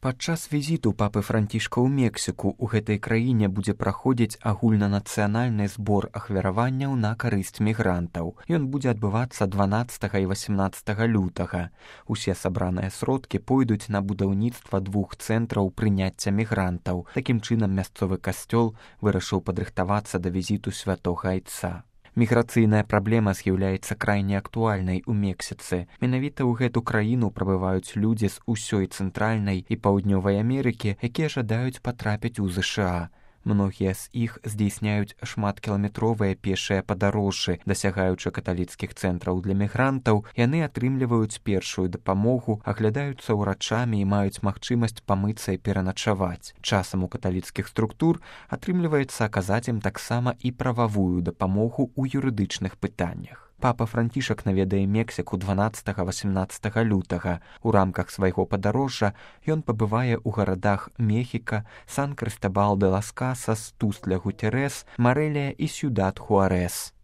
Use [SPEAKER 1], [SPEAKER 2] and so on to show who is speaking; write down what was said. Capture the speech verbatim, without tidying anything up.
[SPEAKER 1] Падчас візіту папы Францішка ў Мексіку ў гэтай краіне будзе праходзіць агульнанацыянальны збор ахвяраванняў на карысць мігрантаў. Ён будзе адбывацца дванаццатага і васямнаццатага лютага. Усе сабраныя сродкі пойдуць на будаўніцтва двух цэнтраў прыняцця мігрантаў. Такім чынам мясцовы касцёл вырашыў падрыхтавацца да візіту святога айца. Міграцыйная праблема з'яўляецца крайне актуальнай у Мексіцы. Менавіта ў гэту краіну прабываюць людзі з усёй цэнтральнай і паўднёвай Амерыкі, якія жадаюць патрапіць у ЗША. Многія з іх здзейсняюць шматкіламетровыя пешыя падарожжы, дасягаючы каталіцкіх цэнтраў для мігрантаў, яны атрымліваюць першую дапамогу, аглядаюцца ўрачамі і маюць магчымасць памыцца і пераначаваць. Часам у каталіцкіх структур атрымліваецца аказаць ім таксама і прававую дапамогу ў юрыдычных пытаннях. Папа Францішак наведае Мексіку дванаццатага-васямнаццатага лютага. У рамках свайго падарожжа ён пабывае ў гарадах Мехіка, Сан-Крыстабал-де-лас-Касас, Тустля-Гутерес, Марэлія і Сьюдад-Хуарэс.